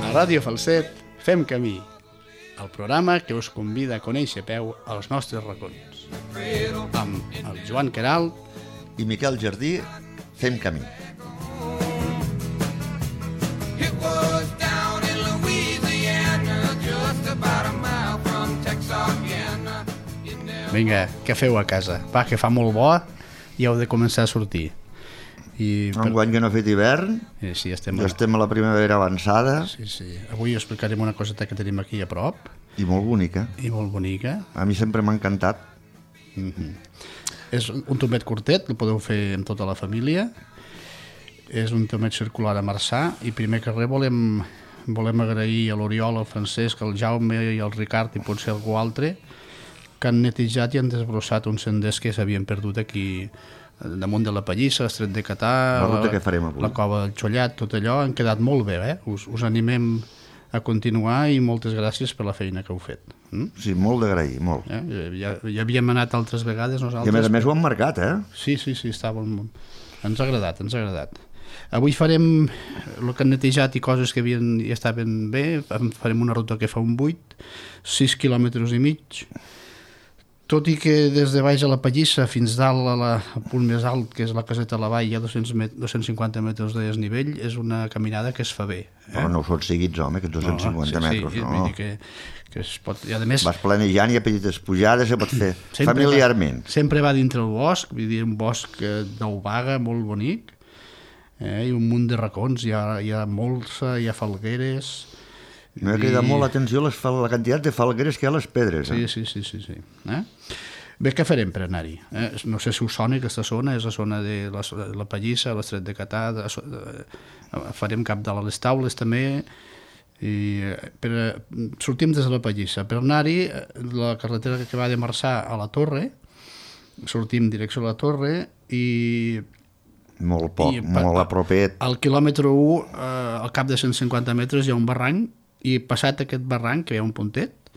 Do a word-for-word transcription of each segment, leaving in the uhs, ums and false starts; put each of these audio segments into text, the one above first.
A Ràdio Falset fem camí, el programa que us convida a conèixer a peu els nostres racons. Amb el Joan Queralt i Miquel Jardí fem camí. Vinga, què feu a casa? Va, que fa molt bo i heu de començar a sortir. I per... Enguany que no ha fet hivern, eh, sí, estem, ja a... estem a la primavera avançada. Sí, sí. Avui explicarem una coseta que tenim aquí a prop. I molt bonica. I molt bonica. A mi sempre m'ha encantat. Mm-hmm. És un tomet curtet, el podeu fer amb tota la família. És un tomet circular a Marçà i primer que res volem, volem agrair a l'Oriol, al Francesc, al Jaume i al Ricard i potser algú altre que han netejat i han desbrossat uns senders que s'havien perdut aquí damunt de la Pallissa, l'Estret de Catà, la ruta que farem avui, la Cova del Xollat, tot allò, han quedat molt bé, eh? Us, us animem a continuar i moltes gràcies per la feina que heu fet. Mm? Sí, molt d'agrair, molt. Eh? Ja, ja havíem anat altres vegades nosaltres. I a més a més ho han marcat, eh? Sí, sí, sí, estava molt... Ens ha agradat, ens ha agradat. Avui farem el que han netejat i coses que havien, ja estaven bé, farem una ruta que fa un vuit, sis quilòmetres i mig, tot i que des de baix a la Pallissa fins dalt a la, al punt més alt, que és la Caseta de la Vall, hi ha dos-cents cinquanta metres de desnivell, és una caminada que es fa bé. Eh? Però no ho són seguits, home, aquests dos-cents cinquanta no, sí, metres, sí, no? Vull dir que, que es pot... I a més, vas planejant i a petites pujades se pot fer familiarment. Va, sempre va dintre el bosc, vull dir, un bosc d'Obaga molt bonic, eh? I un munt de racons, hi ha, hi ha molsa, hi ha falgueres... M'ha cridat molt l'atenció la quantitat de falgueres que hi ha a les pedres. Eh? Sí, sí, sí. sí, sí. Eh? Bé, què farem per anar-hi? Eh? No sé si us sona aquesta zona, és la zona de la, la Pallissa, l'Estret de Catà, de, de, farem cap de les Taules també, i per, sortim des de la Pallissa. Per anar-hi, la carretera que va de Marçà a la Torre, sortim direcció a la Torre i... Molt poc, i, molt a propet. Al quilòmetre u, eh, al cap de cent cinquanta metres, hi ha un barranc, i passat aquest barranc, que hi ha un puntet,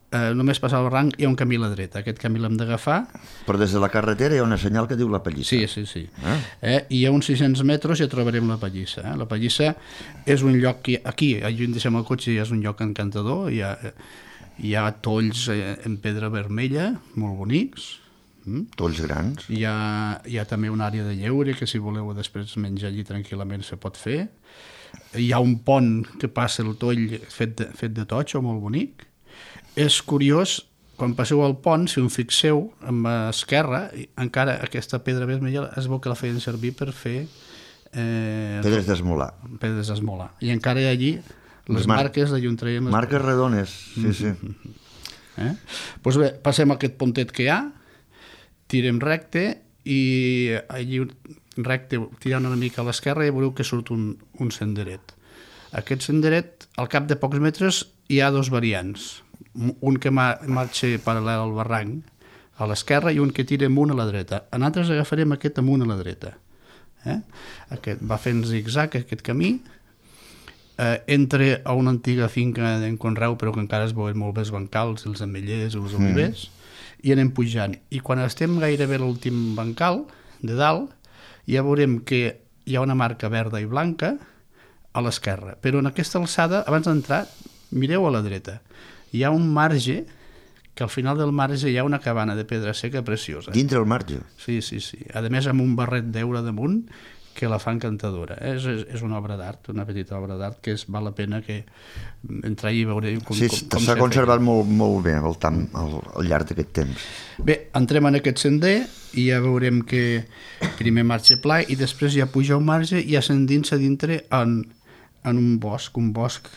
eh, només passar el barranc hi ha un camí a la dreta. Aquest camí l'hem d'agafar. Però des de la carretera hi ha una senyal que diu la Pallissa. Sí, sí, sí. Eh? Eh, I a uns sis-cents metres ja trobarem la Pallissa. Eh? La Pallissa és un lloc que aquí, allà on deixem el cotxe, ja és un lloc encantador, hi ha, hi ha tolls en pedra vermella, molt bonics. Mm? Tolls grans. Hi ha, hi ha també una àrea de lleure que si voleu després menjar allí tranquil·lament se pot fer. Hi ha un pont que passa el toll fet de, fet de totxo, molt bonic. És curiós, quan passeu al pont, si us fixeu, amb l'esquerra, encara aquesta pedra vermella es veu que la feien servir per fer... Eh, pedres d'esmolar. Pedres d'esmolar. I encara hi ha allí les mar marques d'allà on traiem... Les... Marques redones, sí, sí. Eh? Pues bé, passem a aquest pontet que hi ha, tirem recte i allí... recte, tirant una mica a l'esquerra i veureu que surt un, un senderet. Aquest senderet, al cap de pocs metres, hi ha dos variants. Un que marxa paral·lel al barranc a l'esquerra i un que tira amunt a la dreta. Nosaltres agafarem aquest amunt a la dreta. Eh? Aquest va fent zig-zag, aquest camí, eh, entra a una antiga finca d'en Conreu, però que encara es veuen molt bé els bancals, els ametllers, els olivers, mm. i anem pujant. I quan estem gairebé a l'últim bancal, de dalt, ja veurem que hi ha una marca verda i blanca a l'esquerra, però en aquesta alçada, abans d'entrar, mireu a la dreta. Hi ha un marge, que al final del marge hi ha una cabana de pedra seca preciosa. Dintre el marge? Sí, sí, sí. A més, amb un barret d'heura damunt, que la fa encantadora. És, és, és una obra d'art, una petita obra d'art que és, val la pena que entrar i veure com, sí, com, com s'ha conservat molt, molt bé al, tam, al, al llarg d'aquest temps. Bé, entrem en aquest sender i ja veurem que primer marxa pla i després ja puja un marge i ja s'endinsa dintre en, en un bosc, un bosc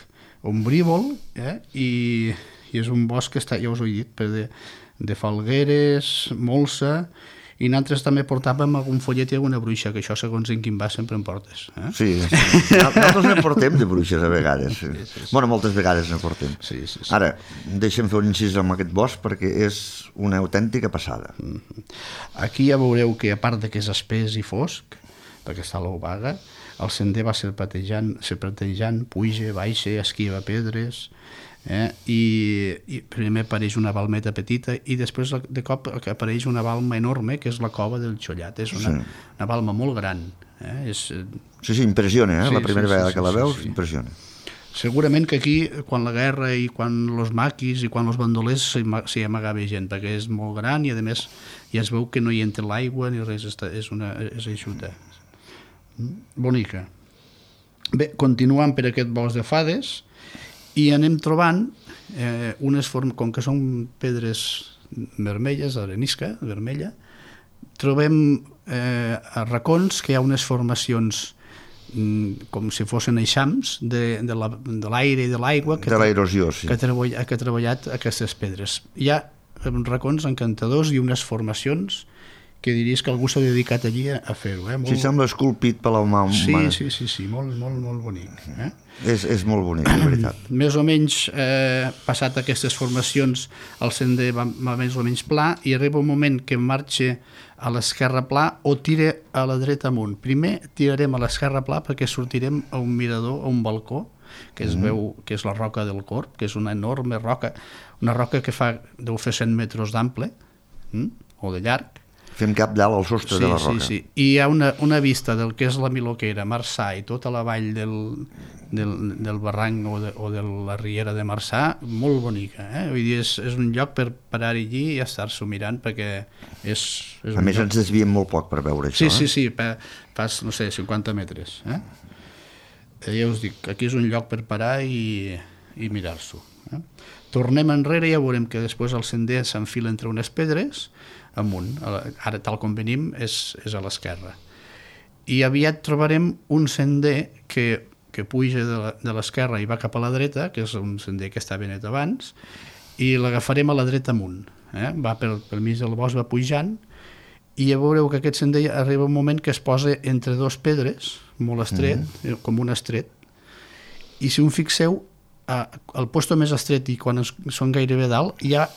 ombrívol, eh? I, i és un bosc que està, ja us ho he dit, per de, de falgueres, molsa, i nosaltres també portàvem algun follet i alguna bruixa, que això segons en quin va sempre en portes. Eh? Sí, sí. Nosaltres ne portem de bruixes a vegades. Sí, sí, sí. Bueno, moltes vegades ne portem. Sí, sí, sí. Ara, deixem fer un incís amb aquest bosc perquè és una autèntica passada. Mm-hmm. Aquí ja veureu que a part de que és espès i fosc, perquè està a l'Obaga, el sender va serpentejant, serpentejant, puja, baixa, esquiva pedres... Eh? I, i primer apareix una balmeta petita i després de cop apareix una balma enorme que és la Cova del Xollat. És una, sí. una balma molt gran, eh? És... Sí, sí, impressiona, eh? Sí, la primera sí, vegada sí, que la veus, sí, sí. impressiona. Segurament que aquí, quan la guerra i quan els maquis i quan els bandolers s'hi amagava gent, perquè és molt gran i a més ja es veu que no hi entra l'aigua ni res, és, una, és eixuta. Bonica. Bé, continuant per aquest bosc de fades i anem trobant eh, unes formes, com que són pedres vermelles, arenisca vermella, trobem eh, a racons que hi ha unes formacions mm, com si fossin eixams de, de l'aire i de l'aigua que, de l'aerosió, sí. que, treball, que ha treballat aquestes pedres. Hi ha racons encantadors i unes formacions que diries que algú s'ha dedicat allí a, a fer-ho. Eh? Molt... Sí, sembla esculpit per la mà humana. Sí, sí, sí, sí, molt, molt, molt bonic. Eh? És, és molt bonic, de veritat. Més o menys, eh, passat aquestes formacions, el sender va, va més o menys pla i arriba un moment que marxa a l'esquerra pla o tira a la dreta amunt. Primer tirarem a l'esquerra pla perquè sortirem a un mirador, a un balcó, que es mm. veu que és la roca del Corb, que és una enorme roca, una roca que fa, deu fer cent metres d'ample, mm? o de llarg. Fem cap dalt al sostre sí, de la roca. Sí, sí. I hi ha una, una vista del que és la Miloquera, Marçà i tota la vall del, del, del barranc o de, o de la riera de Marçà, molt bonica. Eh? Vull dir, és, és un lloc per parar allí i estar-s'ho mirant perquè és... és a més lloc... ens desviem molt poc per veure això. Sí, eh? sí, sí, pa, pas, no sé, cinquanta metres. Eh? Ja us dic, aquí és un lloc per parar i, i mirar-s'ho. Eh? Tornem enrere i ja veurem que després el sender s'enfila entre unes pedres amunt, ara tal com venim és, és a l'esquerra i aviat trobarem un sender que, que puja de l'esquerra i va cap a la dreta, que és un sender que està ben net abans i l'agafarem a la dreta amunt, eh? Va pel, pel mig del bosc, va pujant i ja veureu que aquest sender arriba un moment que es posa entre dos pedres molt estret, mm-hmm. com un estret i si un fixeu al posto més estret i quan es, són gairebé dalt hi ha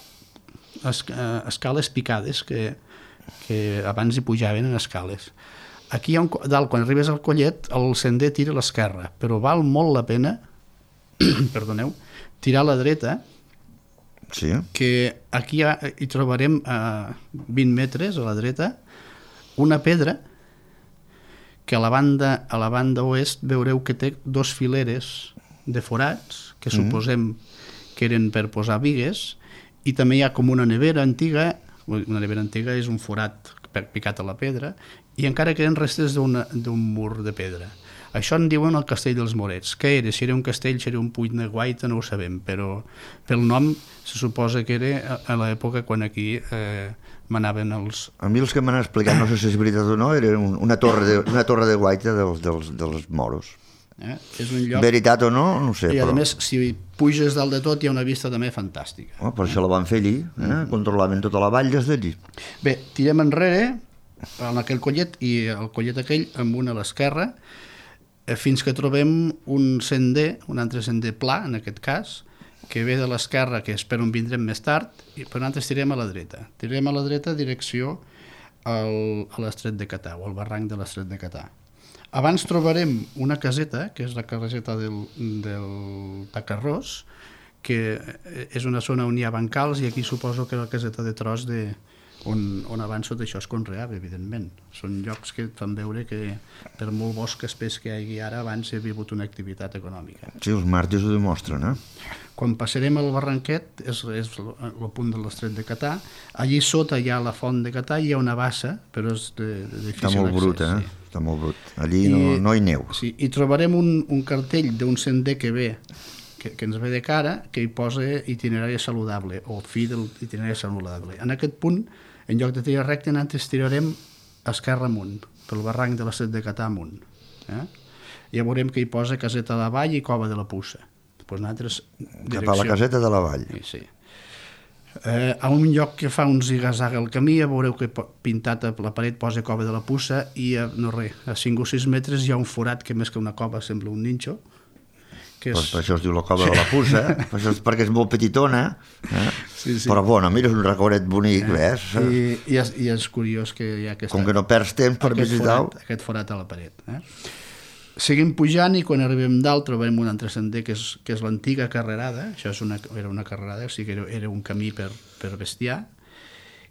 escales picades que, que abans hi pujaven en escales. Aquí hi ha un, dalt, quan arribes al collet el sender tira a l'esquerra, però val molt la pena perdoneu, tirar a la dreta sí. que aquí hi, ha, hi trobarem a vint metres a la dreta una pedra que a la banda, a la banda oest veureu que té dos fileres de forats que mm. suposem que eren per posar bigues i també hi ha com una nevera antiga, una nevera antiga és un forat picat a la pedra, i encara queden restes d'un mur de pedra. Això en diuen el castell dels Morets. Què era? Si era un castell, si era un puig de guaita, no ho sabem, però pel nom se suposa que era a l'època quan aquí eh, manaven els... A mi els que m'han explicat, no sé si és veritat o no, era una torre de, una torre de guaita dels, dels, dels moros. Eh? És un lloc... Veritat o no, no ho sé. I a però... més, si puges dalt de tot hi ha una vista també fantàstica. Oh, per això la van fer allí, eh? Mm. Controlaven tota la vall des d'allí. Bé, tirem enrere en aquell collet i el collet aquell amb una a l'esquerra fins que trobem un sender, un altre sender pla en aquest cas, que ve de l'esquerra, que és per on vindrem més tard, i per nosaltres tirem a la dreta. Tirem a la dreta direcció al, a l'estret de Catà, o al barranc de l'estret de Catà. Abans trobarem una caseta, que és la caseta del, del Tacarrós, que és una zona on hi ha bancals i aquí suposo que la caseta de tros de, on, on abans tot això es conreava, evidentment. Són llocs que fan veure que per molt bosc espès que hi hagi ara abans hi havia hagut una activitat econòmica. Sí, els màrtirs ho demostren, eh? Quan passarem al barranquet, és, és el punt de l'estret de Catà, allí sota hi ha la font de Catà i hi ha una bassa, però és de, de difícil accés. Està molt brut, eh? Sí. Està molt brut. Allí I, no, no hi neu. Sí, i trobarem un, un cartell d'un sender que ve, que, que ens ve de cara, que hi posa itinerari saludable, o fi del itinerari saludable. En aquest punt, en lloc de tirar recte, nosaltres tirarem esquerra amunt, pel barranc de l'estret de Catà amunt. Eh? Ja veurem que hi posa caseta de la vall i cova de la Pussa. Pues nosaltres, direcció... Cap a la caseta de la vall. Sí, sí. Eh, a un lloc que fa un zigazaga al camí, ja veureu que pintat a la paret posa cova de la Pussa i a, no res, a cinc o sis metres hi ha un forat que més que una cova sembla un ninxo. Que és... Pues per això es diu la cova sí. de la Pussa, eh? Per això és perquè és molt petitona, eh? Sí, sí. Però bueno, mira, és un recorregut bonic, eh? ves? I, i, és, I és curiós que hi ha aquesta... Com que no perds temps per visitar-ho. Forat, aquest forat a la paret, eh? Seguim pujant i quan arribem dalt trobem un altre sender que és, que és l'antiga carrerada, això és una, era una carrerada, o sigui que era, era un camí per, per bestiar,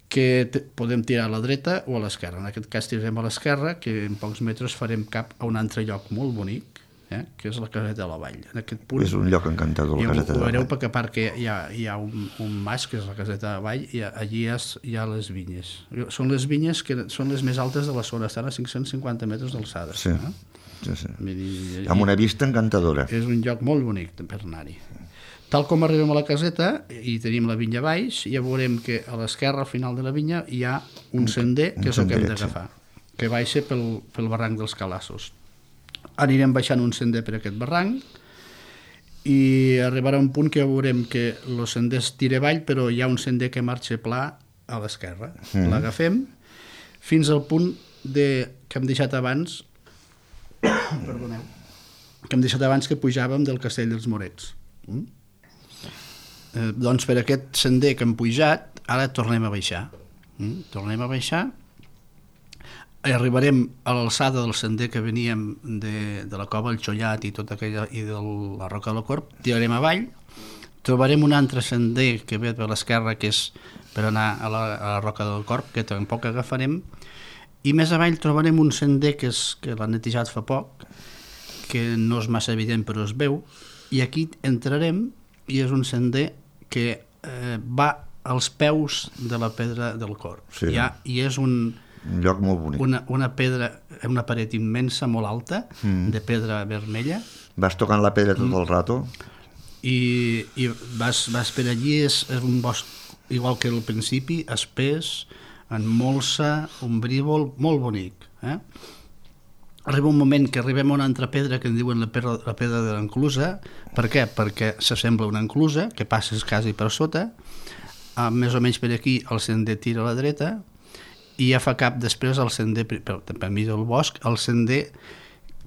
que te, podem tirar a la dreta o a l'esquerra. En aquest cas tirarem a l'esquerra, que en pocs metres farem cap a un altre lloc molt bonic, eh? que és la caseta de la Vall. En aquest punt, És un lloc encantador, la caseta de ho la veureu Vall. perquè a part que hi ha, hi ha un, un mas, que és la caseta de la Vall, i allí hi ha, hi ha les vinyes. Són les vinyes que són les més altes de la zona, estan a cinc-cents cinquanta metres d'alçada. Sí, eh? sí, sí. Vull dir, Amb una vista encantadora. és un lloc molt bonic per anar-hi. Tal com arribem a la caseta i tenim la vinya baix, ja veurem que a l'esquerra, al final de la vinya, hi ha un sender, que és el que hem d'agafar, que baixa pel, pel barranc dels Calassos. Anirem baixant un sender per aquest barranc i arribarà un punt que veurem que el sender es tira avall, però hi ha un sender que marxa pla a l'esquerra. Mm. L'agafem fins al punt de, que hem deixat abans perdoneu, que hem deixat abans que pujàvem del Castell dels Morets. Mm? Eh, doncs per aquest sender que hem pujat, ara tornem a baixar. Mm? Tornem a baixar, arribarem a l'alçada del sender que veníem de, de la Cova, el Xollat i tota aquella, i de la Roca de la Corp, tirarem avall, trobarem un altre sender que ve per l'esquerra, que és per anar a la, a la Roca del Corp, que tampoc agafarem, i més avall trobarem un sender que, és, que l'han netejat fa poc, que no és massa evident però es veu, i aquí entrarem i és un sender que eh, va als peus de la pedra del Corp. Sí. I, ha, i és un, Un lloc molt bonic. una, una pedra, una paret immensa, molt alta, mm. de pedra vermella, Vas tocant la pedra tot el rato. i, i vas, vas per allí, és, és un bosc igual que al principi, espès, en molsa, ombrívol, molt bonic. Eh? Arriba un moment que arribem a una altra pedra que en diuen la pedra, la pedra de l'enclusa. Per què? Perquè s'assembla una enclusa que passes quasi per sota, ah, més o menys per aquí el sender tira a la dreta, i ja fa cap després el sender, per, per mi del bosc, el sender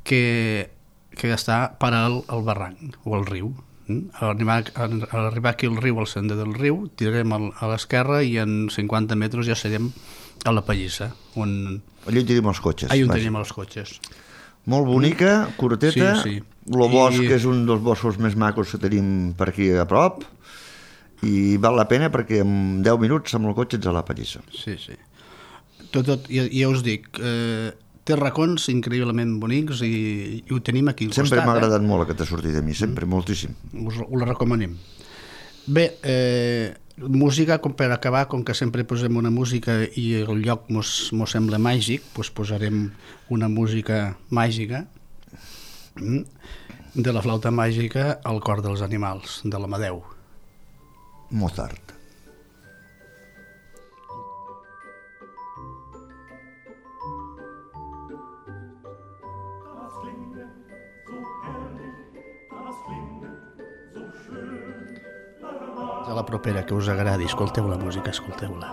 que, que està paral al barranc o al riu. A arribar, a arribar aquí al riu, al sender del riu, tirarem a l'esquerra i en cinquanta metres ja serem a la Pallissa, on... Allà on tenim els cotxes. Allà on vaja. tenim els cotxes. Molt bonica, curteta, Sí, sí. el bosc I- és un dels boscos més macos que tenim per aquí a prop, i val la pena perquè en deu minuts amb el cotxe ets a la Pallissa. Sí, sí. Tot, tot, ja, ja us dic, eh, té racons increïblement bonics i, i ho tenim aquí al Sempre costat. m'ha agradat molt aquesta sortida a mi, sempre, mm. moltíssim. Eh? Us, us la recomanem. Bé, eh, música, com per acabar, com que sempre posem una música i el lloc mos, mos sembla màgic, doncs posarem una música màgica mm, de la flauta màgica al cor dels animals, de l'Amadeu. Mozart. A la propera, que us agradi, escolteu la música, escolteu-la.